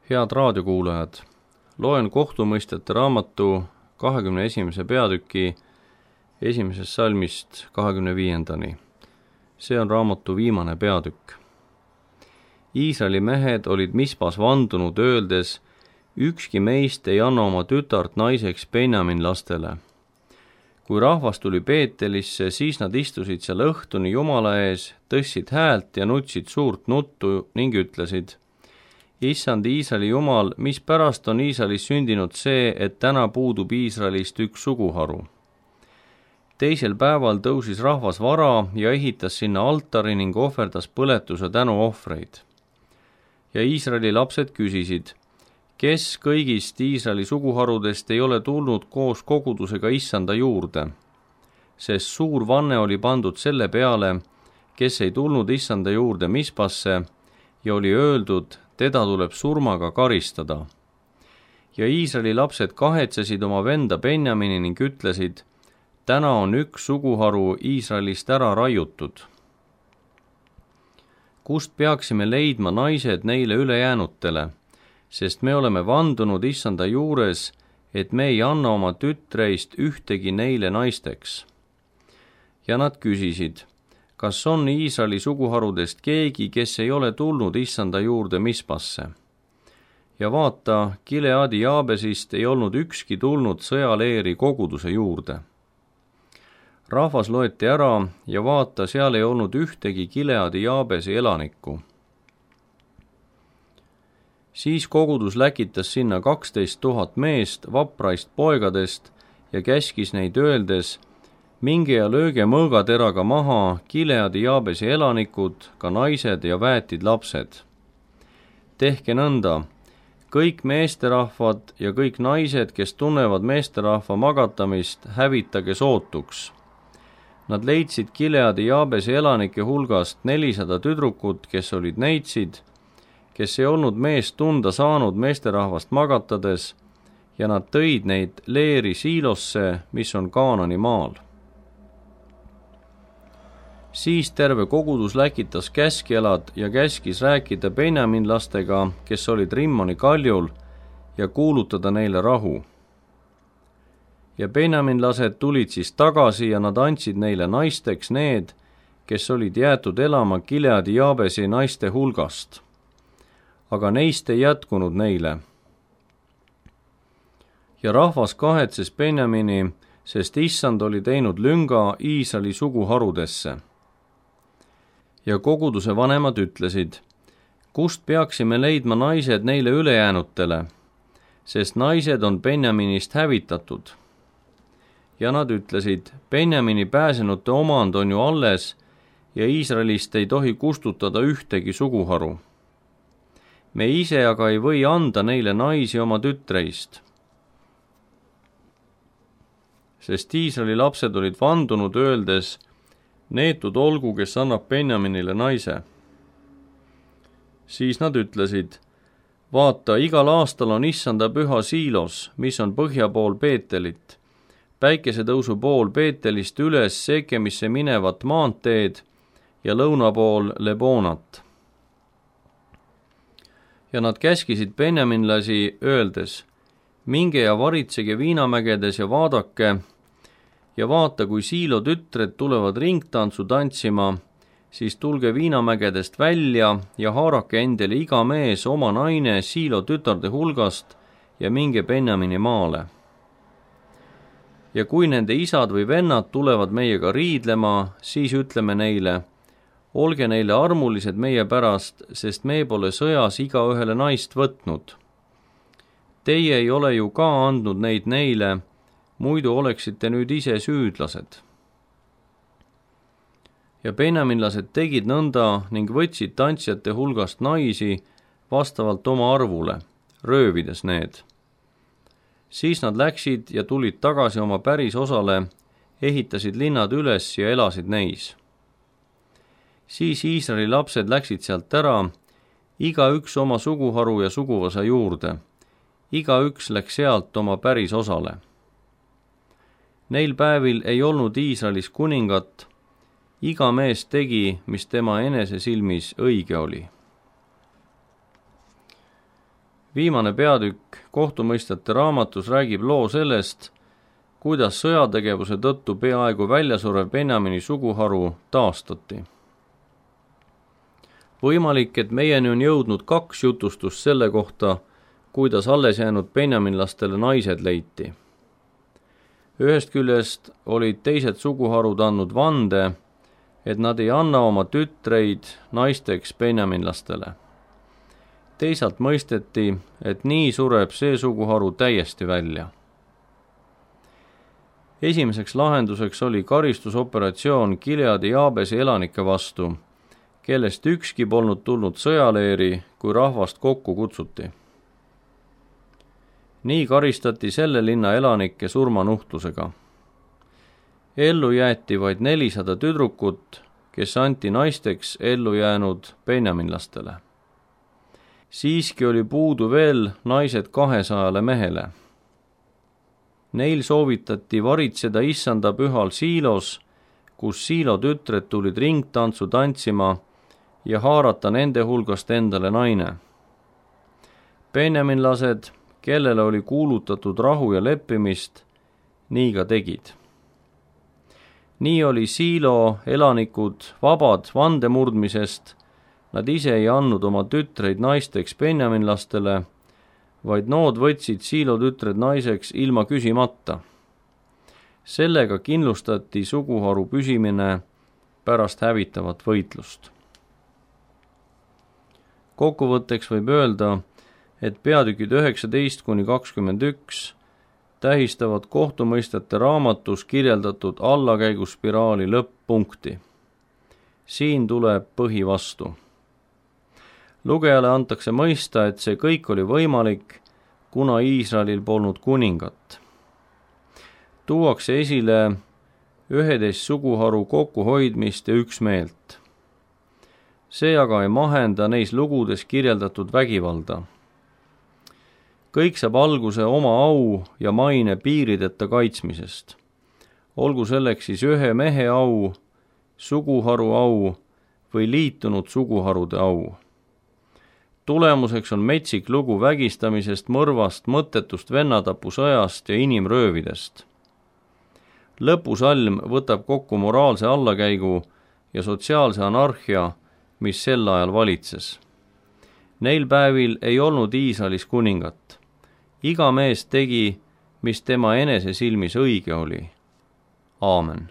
Head raadiokuulajad, loen kohtumõistjate raamatu 21. peatüki 1. salmist 25. See on raamatu viimane peatükk. Iisraeli mehed olid Mispas vandunud öeldes, ükski meist ei anna oma tütart naiseks Benjamin lastele. Kui rahvas tuli Beetelisse, siis nad istusid seal õhtuni Jumala ees, tõstsid häält ja nutsid suurt nuttu ning ütlesid, Issand Iisraeli Jumal, mispärast on Iisraelis sündinud see, et täna puudub Iisraelist üks suguharu. Teisel päeval tõusis rahvas vara ja ehitas sinna altari ning ohverdas põletuse tänuohvreid. Ja Iisraeli lapsed küsisid, kes kõigist Iisraeli suguharudest ei ole tulnud koos kogudusega Issanda juurde, sest suur vanne oli pandud selle peale, kes ei tulnud Issanda juurde Mispasse ja oli öeldud, teda tuleb surmaga karistada. Ja Iisraeli lapsed kahetsesid oma venda Benjamini ning ütlesid, täna on üks suguharu Iisraelist ära raiutud. Kust peaksime leidma naised neile ülejäänutele, sest me oleme vandunud Issanda juures, et me ei anna oma tütreist ühtegi neile naisteks. Ja nad küsisid, kas on Iisraeli suguharudest keegi, kes ei ole tulnud Issanda juurde Mispasse? Ja vaata, Gileadi Jaabesist ei olnud ükski tulnud sõjaleeri koguduse juurde. Rahvas loeti ära ja vaata, seal ei olnud ühtegi Gileadi Jaabesi elanikku. Siis kogudus läkitas sinna 12 000 meest vapraist poegadest ja käskis neid öeldes, minge ja lööge mõõgateraga maha Gileadi Jaabesi elanikud, ka naised ja väetid lapsed. Tehke nõnda, kõik meesterahvad ja kõik naised, kes tunnevad meesterahva magatamist, hävitage sootuks. Nad leidsid Gileadi Jaabesi elanike hulgast 400 tüdrukut, kes olid neitsid, kes ei olnud meest tunda saanud meesterahvast magatades, ja nad tõid neid leeri Siilosse, mis on Kaanani maal. Siis terve kogudus läkitas käskjalad ja käskis rääkida benjaminlastega, kes olid Rimmoni kaljul, ja kuulutada neile rahu. Ja benjaminlased tulid siis tagasi ja nad andsid neile naisteks need, kes olid jäetud elama Gileadi Jaabesi naiste hulgast. Aga neist ei jätkunud neile. Ja rahvas kahetses Benjamini, sest Issand oli teinud lünga Iisraeli suguharudesse. Ja koguduse vanemad ütlesid, kust peaksime leidma naised neile ülejäänutele, sest naised on Benjaminist hävitatud. Ja nad ütlesid, Benjamini pääsenute omand on ju alles ja Iisraelist ei tohi kustutada ühtegi suguharu. Me ise aga ei või anda neile naisi oma tütreist. Sest Iisraeli lapsed olid vandunud öeldes, neetud olgu, kes annab Benjaminile naise. Siis nad ütlesid, vaata, igal aastal on Issanda püha Siilos, mis on põhja pool Beetelit, päikesetõusu pool Beetelist üles Sekemisse minevat maanteed ja lõuna pool Lebonat. Ja nad käskisid benjaminlasi öeldes, minge ja varitsege viinamägedes ja vaadake, ja vaata, kui Siilo tütred tulevad ringtantsu tantsima, siis tulge viinamägedest välja ja haarake endale iga mees oma naine Siilo tütarde hulgast ja minge Benjamini maale. Ja kui nende isad või vennad tulevad meiega riidlema, siis ütleme neile, olge neile armulised meie pärast, sest me pole sõjas igaühele naist võtnud. Teie ei ole ju ka andnud neid neile, muidu oleksite nüüd ise süüdlased. Ja benjaminlased tegid nõnda ning võtsid tantsijate hulgast naisi vastavalt oma arvule, röövides need. Siis nad läksid ja tulid tagasi oma päris osale, ehitasid linnad üles ja elasid neis. Siis Iisraeli lapsed läksid sealt ära, igaüks oma suguharu ja suguvõsa juurde, igaüks läks sealt oma päris osale. Neil päevil ei olnud Iisraelis kuningat, iga mees tegi, mis tema enese silmis õige oli. Viimane peatükk kohtumõistjate raamatus räägib loo sellest, kuidas sõjategevuse tõttu peaaegu väljasurev Benjamini suguharu taastati. Võimalik, et meieni on jõudnud 2 jutustust selle kohta, kuidas alles jäänud benjaminlastele naised leiti. Ühest küljest olid teised suguharud andnud vande, et nad ei anna oma tütreid naisteks benjaminlastele. Teisalt mõisteti, et nii sureb see suguharu täiesti välja. Esimeseks lahenduseks oli karistusoperatsioon Gileadi Jaabesi elanike vastu, kellest ükski polnud tulnud sõjaleeri, kui rahvast kokku kutsuti. Nii karistati selle linna elanikke surmanuhtlusega. Ellu jäeti vaid 400 tüdrukut, kes anti naisteks ellu jäänud benjaminlastele. Siiski oli puudu veel naised 200 mehele. Neil soovitati varitseda issanda pühal Siilos, kus Siilo tütred tulid ringtantsu tantsima ja haarata nende hulgast endale naine. Benjaminlased, kellele oli kuulutatud rahu ja leppimist, nii ka tegid. Nii oli Siilo elanikud vabad vandemurdmisest, nad ise ei andnud oma tütreid naisteks benjaminlastele, vaid nood võtsid Siilo tütred naiseks ilma küsimata. Sellega kindlustati suguharu püsimine pärast hävitavat võitlust. Kokkuvõtteks võib öelda, et peatükid 19–21 tähistavad kohtumõistjate raamatus kirjeldatud allakäiguspiraali lõpp-punkti. Siin tuleb põhi vastu. Lugejale antakse mõista, et see kõik oli võimalik, kuna Iisraelil polnud kuningat. Tuuakse esile 11 suguharu kokkuhoidmist ja üksmeelt. See aga ei mahenda neis lugudes kirjeldatud vägivalda. Kõik saab alguse oma au ja maine piirideta kaitsmisest. Olgu selleks siis ühe mehe au, suguharu au või liitunud suguharude au. Tulemuseks on metsik lugu vägistamisest, mõrvast, mõttetust vennatapusõjast ja inimröövidest. Lõpusalm võtab kokku moraalse allakäigu ja sotsiaalse anarhia, mis sel ajal valitses. Neil päevil ei olnud Iisraelis kuningat. Iga mees tegi, mis tema enese silmis õige oli. Aamen.